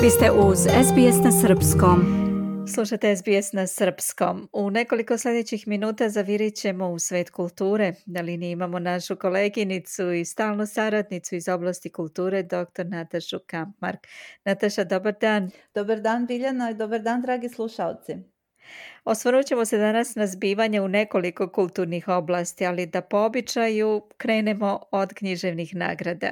Vi ste uz SBS na srpskom. Slušate SBS na srpskom. U nekoliko sljedećih minuta zavirit ćemo u svet kulture. Na liniji imamo našu koleginicu i stalnu saradnicu iz oblasti kulture, dr. Natašu Kampmark. Nataša, dobar dan. Dobar dan, Biljana, i dobar dan, dragi slušalci. Osvrnut ćemo se danas na zbivanje u nekoliko kulturnih oblasti, ali da po običaju krenemo od književnih nagrada.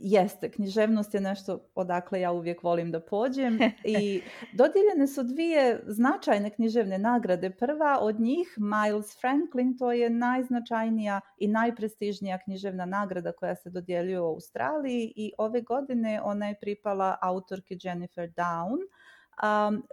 Jeste, književnost je nešto odakle ja uvijek volim da pođem i dodijeljene su dvije značajne književne nagrade. Prva od njih, Miles Franklin, to je najznačajnija i najprestižnija književna nagrada koja se dodjeljuje u Australiji i ove godine ona je pripala autorki Jennifer Down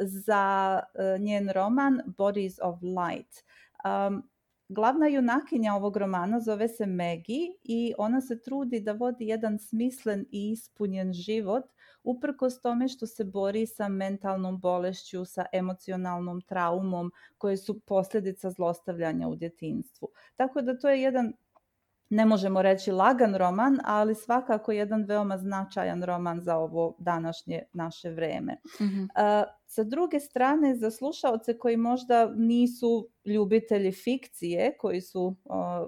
za njen roman Bodies of Light. Glavna junakinja ovog romana zove se Maggie i ona se trudi da vodi jedan smislen i ispunjen život uprkos tome što se bori sa mentalnom bolešću, sa emocionalnom traumom koje su posljedica zlostavljanja u djetinjstvu. Tako da to je jedan, ne možemo reći lagan roman, ali svakako jedan veoma značajan roman za ovo današnje naše vreme. Mhm. Sa druge strane, za slušaoce koji možda nisu ljubitelji fikcije, koji su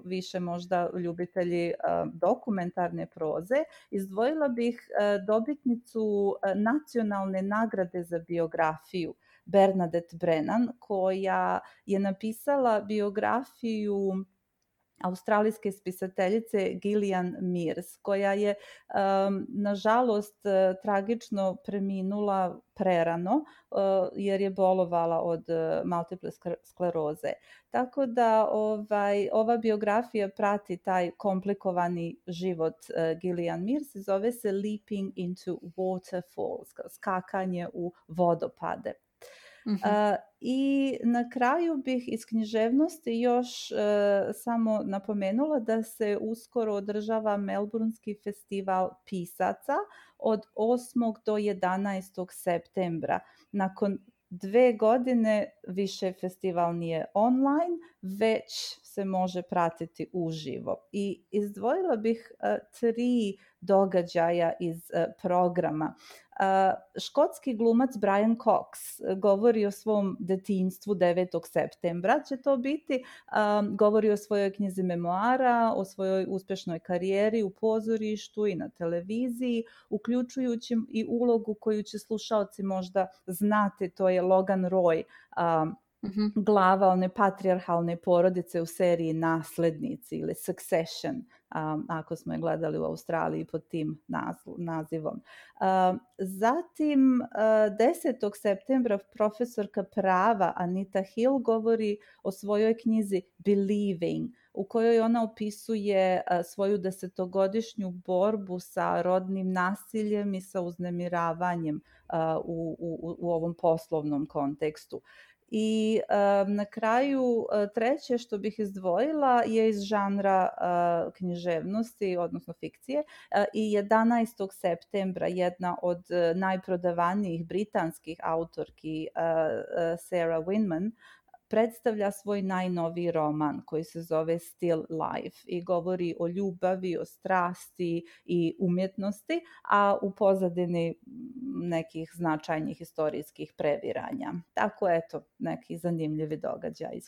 više možda ljubitelji dokumentarne proze, izdvojila bih dobitnicu nacionalne nagrade za biografiju, Bernadette Brennan, koja je napisala biografiju australijske spisateljice Gillian Mears, koja je nažalost tragično preminula prerano jer je bolovala od multiple skleroze. Tako da ova biografija prati taj komplikovani život Gillian Mears i zove se Leaping into Waterfalls, skakanje u vodopade. I na kraju bih iz književnosti još samo napomenula da se uskoro održava Melbournski festival pisaca od 8. do 11. septembra. Nakon 2 godine više festival nije online, već se može pratiti uživo. I izdvojila bih 3 događaja iz programa. Škotski glumac Brian Cox govori o svom detinjstvu 9. septembra. Će to biti, govori o svojoj knjizi memoara, o svojoj uspješnoj karijeri u pozorištu i na televiziji, uključujući i ulogu koju će slušaoci možda znati, to je Logan Roy, glava one patrijarhalne porodice u seriji Naslednici ili Succession, ako smo je gledali u Australiji pod tim nazivom. Zatim 10. septembra profesorka prava Anita Hill govori o svojoj knjizi Believing, u kojoj ona opisuje svoju 10-godišnju borbu sa rodnim nasiljem i sa uznemiravanjem u ovom poslovnom kontekstu. I na kraju treće što bih izdvojila je iz žanra književnosti, odnosno fikcije. I 11. septembra jedna od najprodavanijih britanskih autorki, Sarah Winman, predstavlja svoj najnoviji roman koji se zove Still Life i govori o ljubavi, o strasti i umjetnosti, a u pozadini nekih značajnih historijskih previranja. Tako eto, neki zanimljivi događaj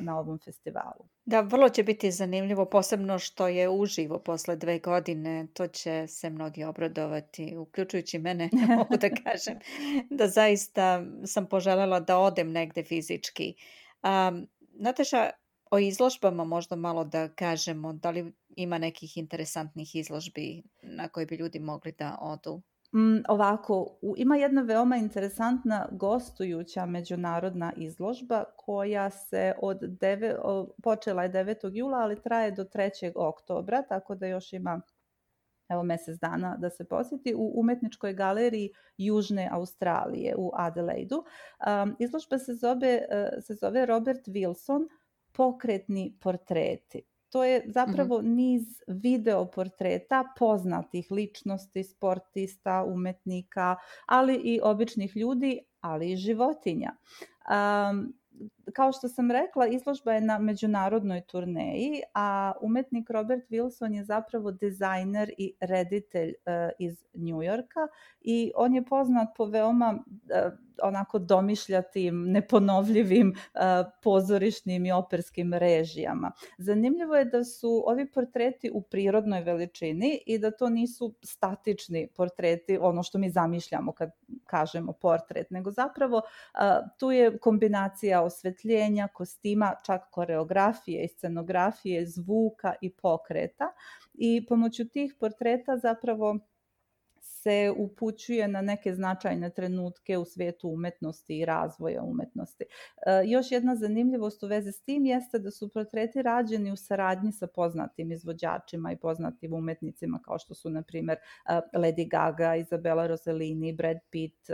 na ovom festivalu. Da, vrlo će biti zanimljivo, posebno što je uživo posle 2 godine. To će se mnogi obradovati, uključujući mene, mogu da kažem, da zaista sam poželjela da odem negde fizički. Nataša, o izložbama možda malo da kažemo, da li ima nekih interesantnih izložbi na koje bi ljudi mogli da odu? Ovako, ima jedna veoma interesantna gostujuća međunarodna izložba koja se počela je 9. jula, ali traje do 3. oktobra, tako da još ima mjesec dana da se posjeti, u umetničkoj galeriji Južne Australije u Adelaidu. Izložba se zove Robert Wilson, pokretni portreti. To je zapravo niz video portreta poznatih ličnosti, sportista, umetnika, ali i običnih ljudi, ali i životinja. kao što sam rekla, izložba je na međunarodnoj turneji, a umetnik Robert Wilson je zapravo dizajner i reditelj iz New Yorka i on je poznat po veoma onako domišljatim, neponovljivim pozorišnim i operskim režijama. Zanimljivo je da su ovi portreti u prirodnoj veličini i da to nisu statični portreti, ono što mi zamišljamo kad kažemo portret, nego zapravo tu je kombinacija osvetljenja, kostima, čak koreografije i scenografije, zvuka i pokreta i pomoću tih portreta zapravo se upućuje na neke značajne trenutke u svijetu umetnosti i razvoja umetnosti. Još jedna zanimljivost u vezi s tim jeste da su portreti rađeni u saradnji sa poznatim izvođačima i poznatim umetnicima kao što su, na primjer, Lady Gaga, Isabella Rossellini, Brad Pitt,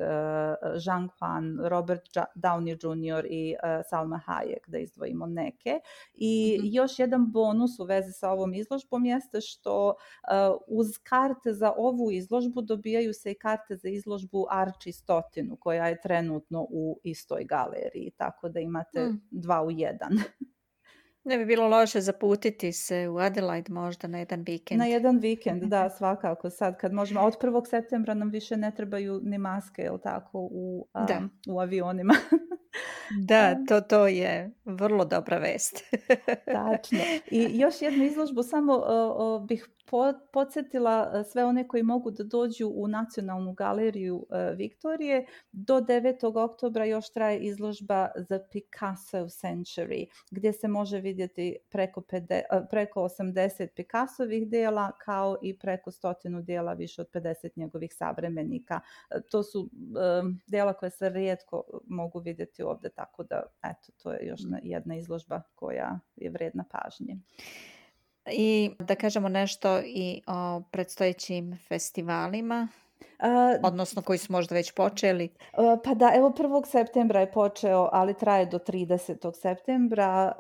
Zhang Han, Robert Downey Jr. i Salma Hayek, da izdvojimo neke. I još jedan bonus u vezi sa ovom izložbom jeste što uz karte za ovu izložbu dobijaju se i karte za izložbu Arči 100, koja je trenutno u istoj galeriji, tako da imate 2 u 1. Ne bi bilo loše zaputiti se u Adelaide možda na jedan vikend. Na jedan vikend, da, svakako. Sad kad možemo, od 1. septembra nam više ne trebaju ni maske, jel tako, u avionima. Da, to je vrlo dobra vest. Tačno. I još jednu izložbu, samo bih podsjetila sve one koji mogu da dođu u Nacionalnu galeriju Viktorije. Do 9. oktobra još traje izložba The Picasso Century, gdje se može vidjeti preko 80 Picassovih dela, kao i preko 100 dela, više od 50 njegovih savremenika. To su dela koje se rijetko mogu vidjeti ovdje, tako da eto, to je još jedna izložba koja je vredna pažnje. I da kažemo nešto i o predstojećim festivalima, odnosno koji su možda već počeli. Pa da, evo 1. septembra je počeo, ali traje do 30. septembra,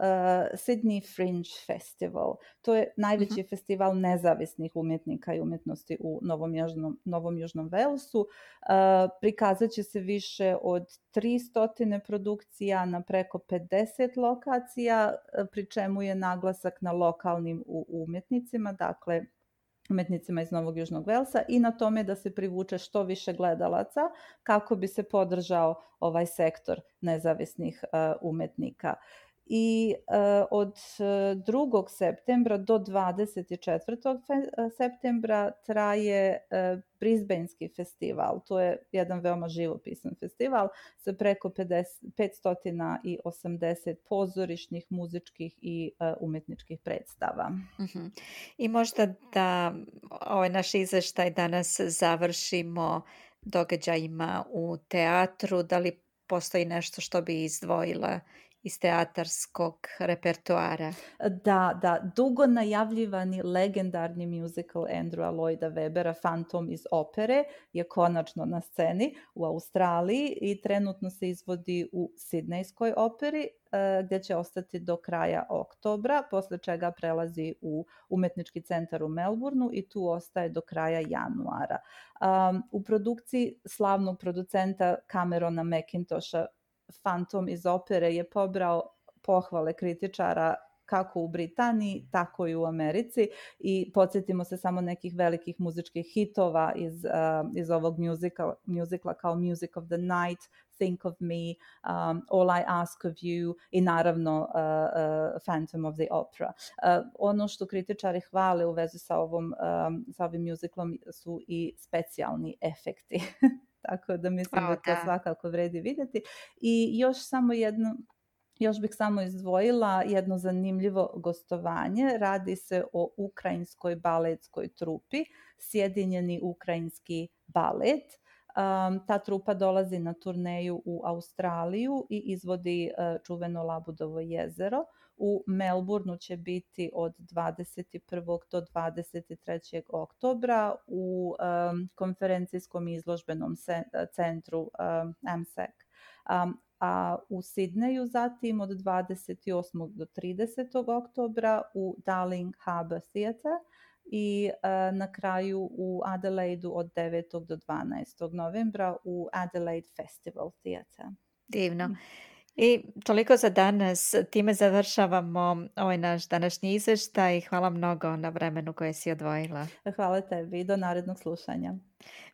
Sydney Fringe Festival. To je najveći festival nezavisnih umjetnika i umjetnosti u Novom Južnom Walesu. Prikazat će se više od 300 produkcija na preko 50 lokacija, pri čemu je naglasak na lokalnim umjetnicima, dakle umjetnicima iz Novog Južnog Velsa, i na tome da se privuče što više gledalaca kako bi se podržao ovaj sektor nezavisnih umjetnika. I od 2. septembra do 24. septembra traje Brisbanski festival. To je jedan veoma živopisan festival sa preko 580 pozorišnih, muzičkih i umjetničkih predstava. I možda da ovaj naš izveštaj danas završimo događajima u teatru. Da li postoji nešto što bi izdvojila iz teatarskog repertoara? Da, dugo najavljivani legendarni musical Andrewa Lloyda Webbera Phantom iz opere je konačno na sceni u Australiji i trenutno se izvodi u Sidnejskoj operi, gdje će ostati do kraja oktobra, posle čega prelazi u Umetnički centar u Melbourneu i tu ostaje do kraja januara. U produkciji slavnog producenta Camerona McIntosha Phantom iz opere je pobrao pohvale kritičara kako u Britaniji, tako i u Americi, i podsjetimo se samo nekih velikih muzičkih hitova iz ovog muzikla kao Music of the Night, Think of Me, All I Ask of You i naravno Phantom of the Opera. Ono što kritičari hvale u vezi sa ovim muziklom su i specijalni efekti. Tako da mislim da to svakako vredi vidjeti. I još bih samo izdvojila jedno zanimljivo gostovanje. Radi se o ukrajinskoj baletskoj trupi, Sjedinjeni ukrajinski balet. Ta trupa dolazi na turneju u Australiju i izvodi čuveno Labudovo jezero. U Melbourneu će biti od 21. do 23. oktobra u konferencijskom izložbenom centru AMSEC. A u Sidneju zatim od 28. do 30. oktobra u Darling Harbour Theatre i na kraju u Adelaidu od 9. do 12. novembra u Adelaide Festival Theatre. Divno. I toliko za danas. Time završavamo ovaj naš današnji izvještaj. Hvala mnogo na vremenu koje si odvojila. Hvala tebi. Do narednog slušanja.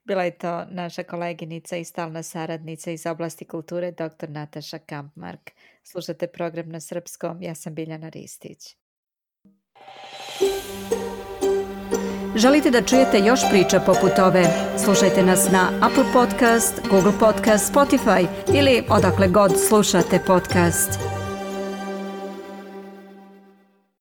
Bila je to naša koleginica i stalna saradnica iz oblasti kulture, dr. Nataša Kampmark. Slušate program na srpskom. Ja sam Biljana Ristić. Želite da čujete još priča poput ove? Slušajte nas na Apple Podcast, Google Podcast, Spotify ili odakle god slušate podcast.